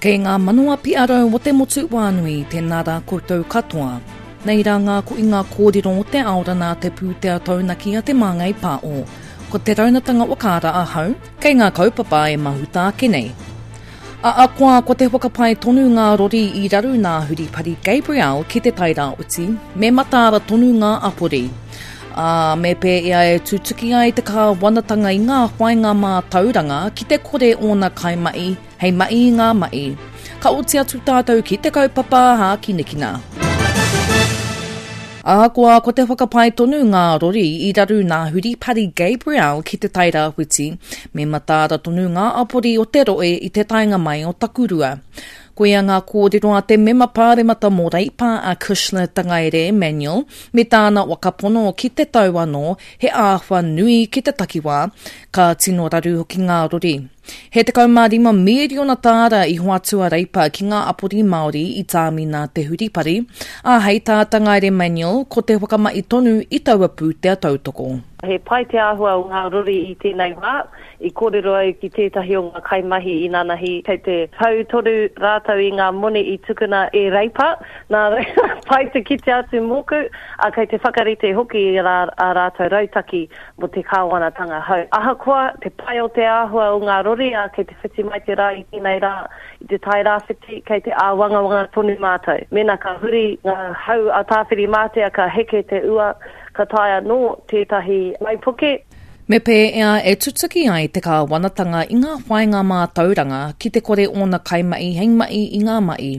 Kei ngā manawa piarau o te motu wānui, tēnā rā koutou katoa. Nei rā ngā koinga kōrero o te aora nā te pūtea taunaki a Te Māngai Pāo. Ko te raunatanga whakaara ahau, kei ngā kaupapa e mahuta ake nei. Ahakoa ko te whakapae tonu ngā rori i raru nā Huripari Gabrielle ki Te Tairāwhiti, me mataara tonu ngā apori. Ā, me pēea e tutuki ai te kāwanatanga i ngā whāinga mātauranga ki te kore ōna kaimahi hei mahi i ngā mahi. Ka oti atu tātou ki te kaupapa hākinakina. Ahakoa ko te whakapae tonu ngā rori i raru nā Huripari Gabrielle ki Te Tairāwhiti, me mataara tonu ngā apori o te rohe i te taenga mai o Takurua. Koia ngā kōrero a te mema pāremata mō Reipa a Cushla Tangaere Emmanuel me tāna whakapono ki te tau anō he āwha nui ki te takiwā, ka tino raru hoki ngā rori. He 15 mīriona tāra i hoatu a Reipa ki ngā apori Māori i tāmi nā Te Huripari, ā, hei tā Tangaere Manuel, ko te whakamahi tonu i taua pūtea tautoko. He pai te āhua o ngā rori i tēnei wā. I kōrero au ki tētahi o ngā kaimahi inanahi, kei te hau tonu rātou i ngā moni i tukuna e Reipa, nā reira, pai te kite atu mōku, ā, kei te whakarite hoki i ā rātou rautaki mō te kāwanatanga hou. Ahakoa te pai o te āhua o ngā rori, ā, kei te whiti mai te rā i tēnei rā i te tai rāwhiti, kei te āwangawanga tonu mātou. Mēnā ka huri ngā hau a Tāwhirimātea ka heke te ua, ka tae anō tētahi waipuke. Me pēea e tutuki ai te kāwanatanga i ngā whāinga mātauranga ki te kore ōna kaimahi hei mahi i ngā mahi.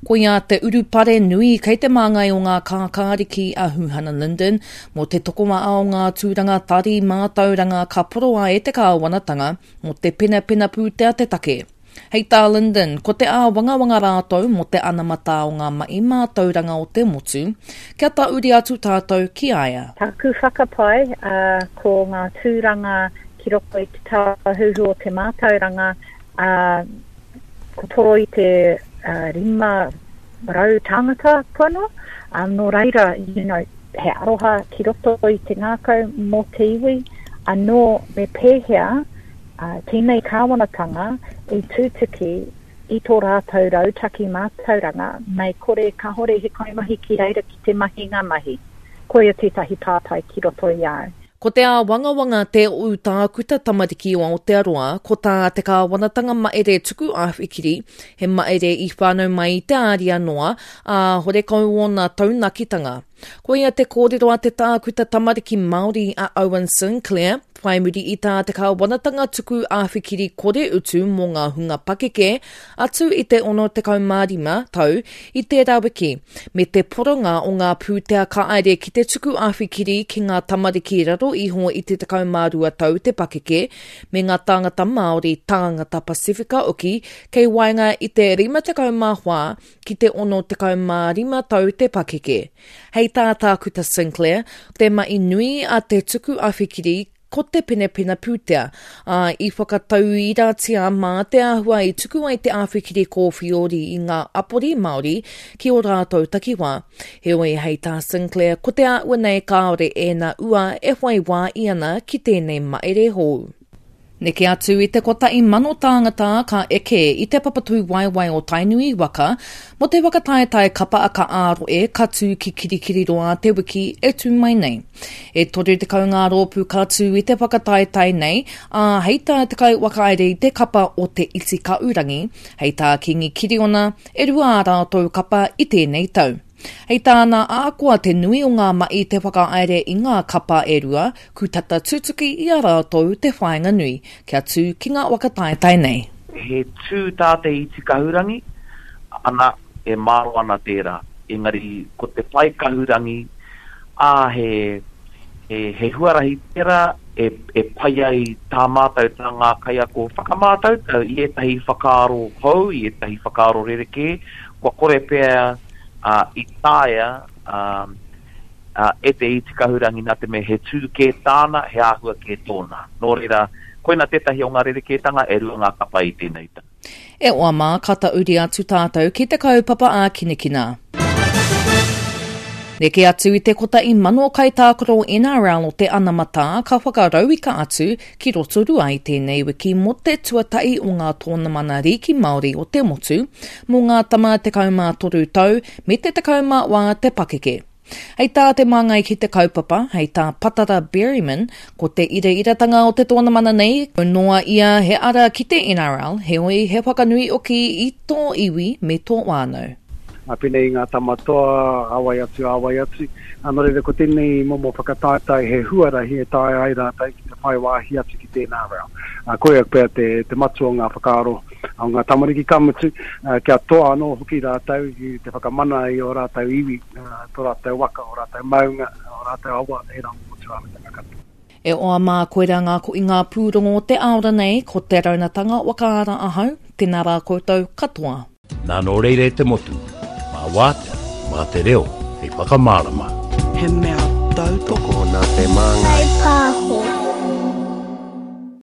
Koia te urupare nui kei te māngai o ngā kākāriki a Huhana Lyndon mō te tokomaha o ngā tūranga tari mātauranga ka poroa e te kāwanatanga mō te penapena pūtea te take. Hei tā Lyndon, ko te āwangawanga rātou mō te anamata o ngā mahi mātauranga o te motu, kia tahuri atu tātou ki a ia. Tāku whakapae, ko ngā tūranga ki roto i te tāhuhu o te mātauranga, Ko toro i te 500 tāngata kua noa, nō reira, you know, he aroha ki roto i te ngākau mō te iwi, anō me pēhea tēnei kāwanatanga i tutuki i tō rātou rautaki mātauranga mei kore kāore he kaimahi ki reira ki te mahi ngā mahi. Koia tētahi pātai ki roto i a au. Ko te āwangawanga te ū tākuta tamariki o Aotearoa, ko tā te kāwanatanga maere tuku āwhikiri, he maere i whānau mai i te āria noa, ā, horekau ōna taunakitanga. Koia te kōrero a te tākuta tamariki Māori a Owen Sinclair, whai muri i tā te kāwanatanga tuku āwhikiri kore utu mō ngā hunga pakeke atu i te 65 tau i tērā wiki, me te poronga o ngā pūtea ka aere ki te tuku āwhikiri ki ngā tamariki raro iho i te 12 tau te pakeke, me ngā tāngata Māori, tāngata Pasifika hoki kei waenga i te 54 ki te 65 tau te pakeke. Hei tā Tākuta Sinclair, te mahi nui a te tuku awhikiri ko te penapena pūtea, ā, i whakatauiratia mā te āhua i tuku ai te awhikiri kōwhiori i ngā apori Māori ki ō rātou takiwā. Heoi, hei tā Sinclair, ko te āhua nei kāore ēnā ua e whai wā i ana ki tēnei maere hou. Neke atu i te 1,000 tāngata ka eke i te papatūwaewae o Tainui waka mō te whakataetae kapa aka ā-rohe ka tū ki Kirikiriroa te wiki e tū mai nei. E 30 ngā rōpū ka tū i te whakataetae nei, ā, hei tā te kaiwhakahaere i te kapa o Te Iti Kaurangi, hei tā Kingi Kiriona, e rua ā rātou kapa i tēnei tau. Hei tāna, ahakoa te nui o ngā mahi te whakahaere i ngā kapa e rua, ku tata tutuki i a rātou te whāinga nui, kia tū ki ngā waka taetae nei. He tū tā te iti kahurangi, ana, e māro ana tērā. Engari, ko te pae kahurangi, ā, he, he, he huarahi tērā e, e pai ai tā mātou, tā ngā kaiako whakamātautau i ētahi whakaaro hou, i ētahi whakaaro rerekē, kua kore pea ā, i taea, ā, ā, e te iti kahurangi nā te mea he tū kē tāna, he āhua kē tōna. Nō reira, koina tētahi o ngā rerekētanga e rua ngā kapa i tēnei tau. E oa mā, ka tauri atu tātou ki te kaupapa ākinakina. Neke atu i te 1,000 kaitākaro NRL o te anamata ka whakarauika atu ki Rotorua i tēnei wiki mō te tuatahi o ngā tōnamana rīki Māori o te motu mō ngā tama 13 tau me te 14 te pakeke. Hei tā te māngai ki te kaupapa, hei tā Patara Berryman, ko te irairatanga o te tōnamana nei, kau noa ia he ara ki te NRL, heoi he whakanui oki i tō iwi me tō whānau. Pēnei i ngā tama toa, a wai atu, a wai atu. Nō reira, ko tēnei momo whakataetae he huarahi e taea ai rātou ki te whai wāhi atu ki tēnā reo. Koia pea te, te matua o ngā whakaaro o ngā tamariki, ka mutu, kia toa anō hoki rātou ki te whakamana i ō rātou iwi, tō rātou waka, ō rātou maunga, ō rātou awa, ērā momo tūāhuatanga katoa. E oa mā koira ngā koinga pūrongo o te aora nei, ko Te Raunatanga Wakaara ahau, tēnā rā koutou katoa. Nā nō reira e te motu, mā wātea, mā te reo hei whakamārama. He mea tautoko nā te māngai. Pāho.